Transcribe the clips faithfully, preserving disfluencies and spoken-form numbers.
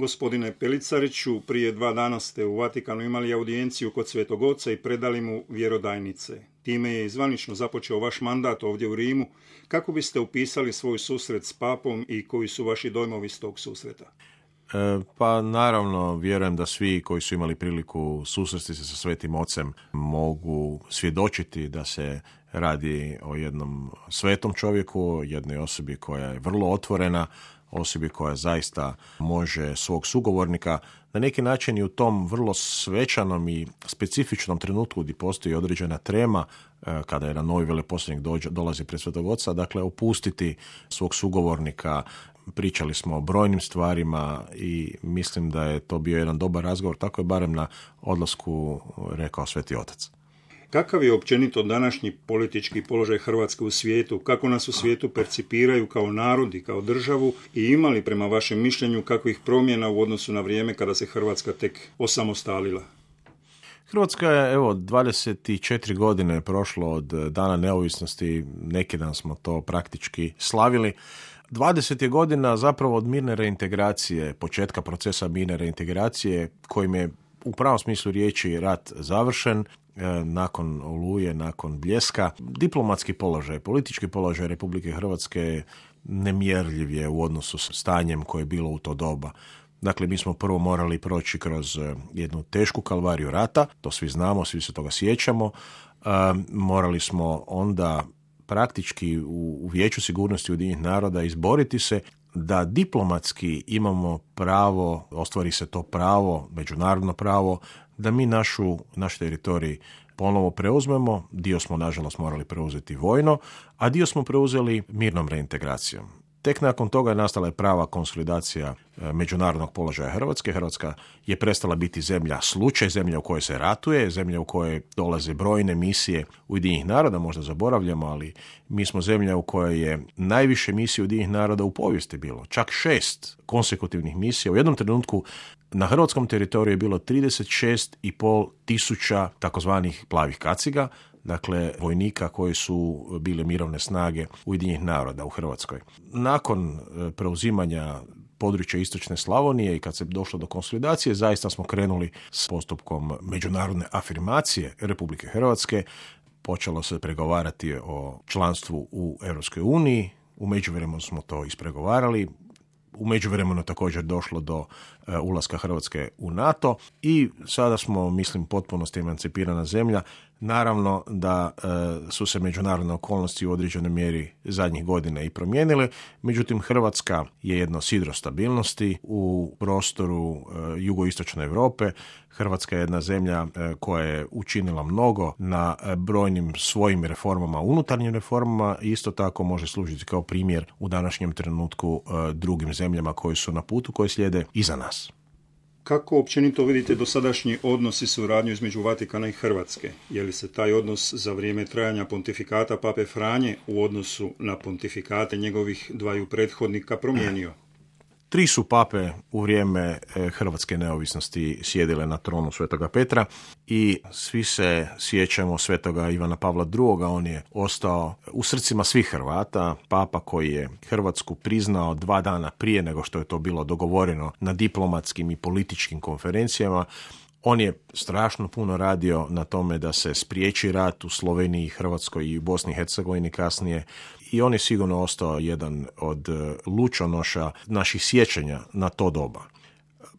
Gospodine Pelicariću, prije dva dana ste u Vatikanu imali audijenciju kod Svetog Oca i predali mu vjerodajnice. Time je zvanično započeo vaš mandat ovdje u Rimu. Kako biste upisali svoj susret s papom i koji su vaši dojmovi s tog susreta? E, pa naravno, vjerujem da svi koji su imali priliku susresti se sa Svetim Ocem mogu svjedočiti da se radi o jednom svetom čovjeku, jednoj osobi koja je vrlo otvorena, osobi koja zaista može svog sugovornika na neki način i u tom vrlo svečanom i specifičnom trenutku gdje postoji određena trema, kada jedan novi veleposlanik dođe, dolazi pred Svetog Oca, dakle opustiti svog sugovornika. Pričali smo o brojnim stvarima i mislim da je to bio jedan dobar razgovor, tako je barem na odlasku rekao Sveti Otac. Kakav je općenito današnji politički položaj Hrvatske u svijetu? Kako nas u svijetu percipiraju kao narod i kao državu? I ima li prema vašem mišljenju kakvih promjena u odnosu na vrijeme kada se Hrvatska tek osamostalila? Hrvatska je, evo, dvadeset četiri godine je prošlo od dana neovisnosti, neki dan smo to praktički slavili. dvadeset je godina zapravo od mirne reintegracije, početka procesa mirne reintegracije, kojim je u pravom smislu riječi rat završen, nakon Oluje, nakon Bljeska. Diplomatski položaj, politički položaj Republike Hrvatske nemjerljiv je u odnosu s stanjem koje je bilo u to doba. Dakle, mi smo prvo morali proći kroz jednu tešku kalvariju rata, to svi znamo, svi se toga sjećamo. E, morali smo onda praktički u, u Vijeću sigurnosti Ujedinjenih naroda izboriti se da diplomatski imamo pravo, ostvari se to pravo, međunarodno pravo, da mi našu, naš teritorij ponovo preuzmemo. Dio smo, nažalost, morali preuzeti vojno, a dio smo preuzeli mirnom reintegracijom. Tek nakon toga je nastala prava konsolidacija međunarodnog položaja Hrvatske. Hrvatska je prestala biti zemlja slučaj, zemlja u kojoj se ratuje, zemlja u kojoj dolaze brojne misije Ujedinjenih naroda, možda zaboravljamo, ali mi smo zemlja u kojoj je najviše misije Ujedinjenih naroda u povijesti bilo. Čak šest konsekutivnih misija. U jednom trenutku na hrvatskom teritoriju je bilo trideset šest i pol tisuća takozvanih plavih kaciga, dakle vojnika koji su bile mirovne snage Ujedinjenih naroda u Hrvatskoj. Nakon preuzimanja područja istočne Slavonije i kad se došlo do konsolidacije, zaista smo krenuli s postupkom međunarodne afirmacije Republike Hrvatske. Počelo se pregovarati o članstvu u Europskoj uniji, u međuvremenu smo to ispregovarali. U međuvremenu također došlo do uh, ulaska Hrvatske u NATO i sada smo, mislim, potpunosti emancipirana zemlja. Naravno da uh, su se međunarodne okolnosti u određenoj mjeri zadnjih godina i promijenile, međutim Hrvatska je jedno sidro stabilnosti u prostoru uh, jugoistočne Europe. Hrvatska je jedna zemlja uh, koja je učinila mnogo na uh, brojnim svojim reformama, unutarnjim reformama, i isto tako može služiti kao primjer u današnjem trenutku uh, drugim zemljama koji su na putu, koji slijede iza nas. Kako općenito vidite dosadašnji odnos i suradnju između Vatikana i Hrvatske? Je li se taj odnos za vrijeme trajanja pontifikata Pape Franje u odnosu na pontifikate njegovih dvaju prethodnika promijenio? Tri su pape u vrijeme hrvatske neovisnosti sjedile na tronu Svetoga Petra i svi se sjećamo Svetoga Ivana Pavla drugoga. On je ostao u srcima svih Hrvata, papa koji je Hrvatsku priznao dva dana prije nego što je to bilo dogovoreno na diplomatskim i političkim konferencijama. On je strašno puno radio na tome da se spriječi rat u Sloveniji, Hrvatskoj i u Bosni i Hercegovini kasnije. I on je sigurno ostao jedan od lučonoša naših sjećanja na to doba.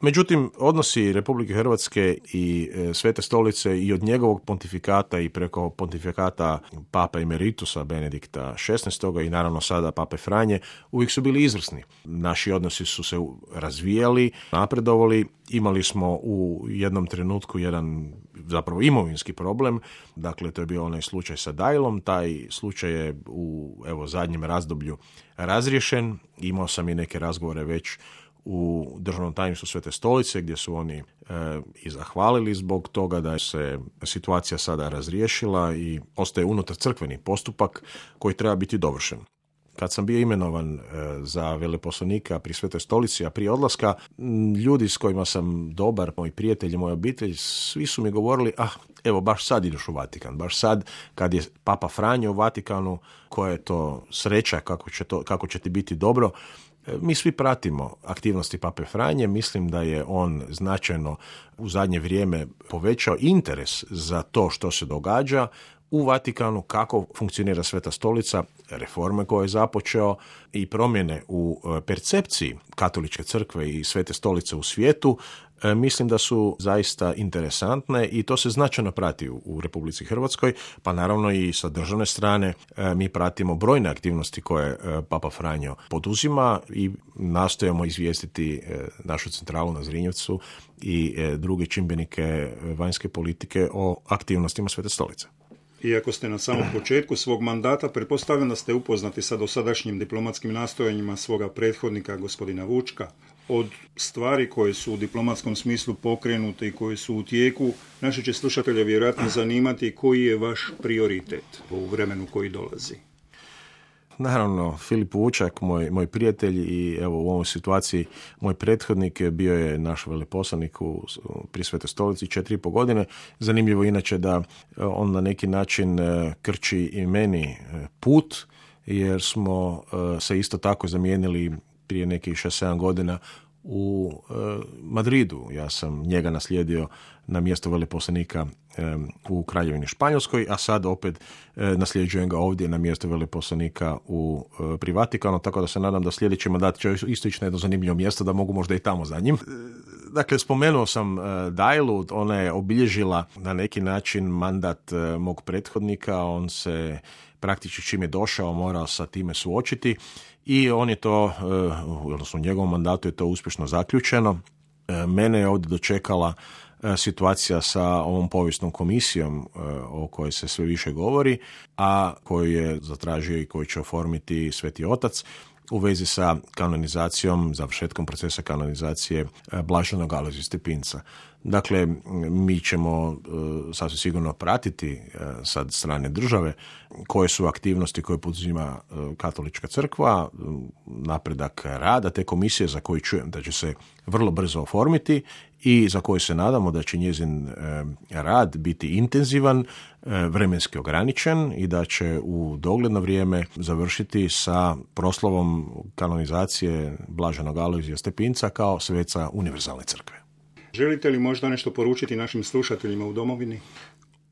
Međutim, odnosi Republike Hrvatske i Svete stolice i od njegovog pontifikata i preko pontifikata Papa Emeritusa Benedikta šesnaestoga i naravno sada Pape Franje uvijek su bili izvrsni. Naši odnosi su se razvijali, napredovali. Imali smo u jednom trenutku jedan zapravo imovinski problem, dakle to je bio onaj slučaj sa Dajlom. Taj slučaj je u evo zadnjem razdoblju razriješen. Imao sam i neke razgovore već u Državnom tajništvu Svete stolice gdje su oni e, i zahvalili zbog toga da se situacija sada razriješila i ostaje unutar crkveni postupak koji treba biti dovršen. Kad sam bio imenovan e, za veleposlanika pri Svetoj stolici, a prije odlaska, m, ljudi s kojima sam dobar, moji prijatelji, moja obitelj, svi su mi govorili, ah, evo, baš sad ideš u Vatikan, baš sad kad je Papa Franjo u Vatikanu, koja je to sreća, kako će, to, kako će ti biti dobro. Mi svi pratimo aktivnosti Pape Franje, mislim da je on značajno u zadnje vrijeme povećao interes za to što se događa u Vatikanu, kako funkcionira Sveta stolica, reforme koje je započeo i promjene u percepciji Katoličke crkve i Svete stolice u svijetu, mislim da su zaista interesantne i to se značajno prati u Republici Hrvatskoj, pa naravno i sa državne strane mi pratimo brojne aktivnosti koje Papa Franjo poduzima i nastojimo izvijestiti našu centralu na Zrinjevcu i druge čimbenike vanjske politike o aktivnostima Svete stolice. Iako ste na samom početku svog mandata, pretpostavljam da ste upoznati sa dosadašnjim diplomatskim nastojanjima svoga prethodnika, gospodina Vučka. Od stvari koje su u diplomatskom smislu pokrenute i koje su u tijeku, naši će slušatelje vjerojatno zanimati koji je vaš prioritet u vremenu koji dolazi. Naravno, Filip Vučak, moj, moj prijatelj i evo u ovoj situaciji moj prethodnik bio je naš veleposlanik u, pri Svetoj stolici četiri i po godine. Zanimljivo inače da on na neki način krči i meni put, jer smo se isto tako zamijenili prije nekih šest sedam godina u e, Madridu. Ja sam njega naslijedio na mjesto veleposlanika e, u Kraljevini Španjolskoj, a sad opet e, nasljeđujem ga ovdje na mjesto veleposlanika u e, pri Vatikanu, tako da se nadam da sljedeći mandat će isto ići na jedno zanimljivo mjesto, da mogu možda i tamo za njim. E, dakle, spomenuo sam e, Dajlu, ona je obilježila na neki način mandat e, mog prethodnika, on se praktički čim je došao morao sa time suočiti i on je to, odnosno u njegovom mandatu je to uspješno zaključeno. Mene je ovdje dočekala situacija sa ovom povijesnom komisijom o kojoj se sve više govori, a koju je zatražio i koju će oformiti Sveti Otac u vezi sa kanonizacijom, završetkom procesa kanonizacije Blaženog Alojzija Stepinca. Dakle, mi ćemo uh, sasvim sigurno pratiti uh, sad strane države koje su aktivnosti koje poduzima uh, Katolička crkva, uh, napredak rada te komisije za koju čujem da će se vrlo brzo oformiti i za koju se nadamo da će njezin uh, rad biti intenzivan, uh, vremenski ograničen i da će u dogledno vrijeme završiti sa proslavom kanonizacije Blaženog Alojzija Stepinca kao sveca univerzalne crkve. Želite li možda nešto poručiti našim slušateljima u domovini?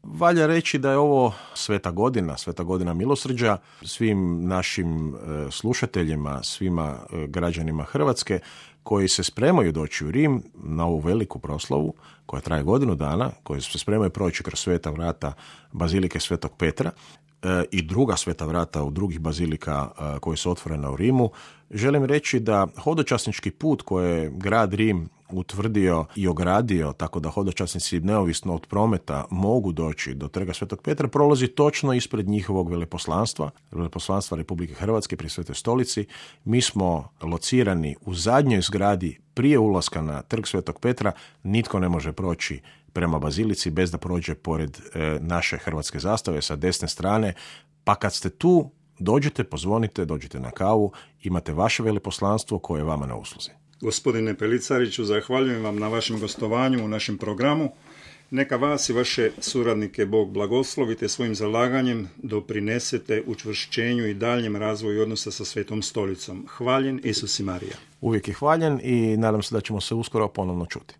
Valja reći da je ovo sveta godina, sveta godina milosrđa, svim našim slušateljima, svima građanima Hrvatske koji se spremaju doći u Rim na ovu veliku proslavu koja traje godinu dana, koji se spremaju proći kroz sveta vrata Bazilike Svetog Petra i druga sveta vrata u drugih bazilika koje su otvorena u Rimu. Želim reći da hodočasnički put koje je grad Rim utvrdio i ogradio tako da hodočasnici neovisno od prometa mogu doći do Trga Svetog Petra prolazi točno ispred njihovog veleposlanstva, veleposlanstva Republike Hrvatske pri Svetoj stolici. Mi smo locirani u zadnjoj zgradi prije ulaska na Trg Svetog Petra, nitko ne može proći prema bazilici bez da prođe pored e, naše hrvatske zastave sa desne strane, pa kad ste tu, dođite, pozvonite, dođite na kavu, imate vaše veleposlanstvo koje je vama na usluzi. Gospodine Pelicariću, zahvaljujem vam na vašem gostovanju u našem programu. Neka vas i vaše suradnike Bog blagoslovite svojim zalaganjem doprinesete učvršćenju i daljem razvoju odnosa sa Svetom stolicom. Hvaljen Isus i Marija. Uvijek je hvaljen i nadam se da ćemo se uskoro ponovno čuti.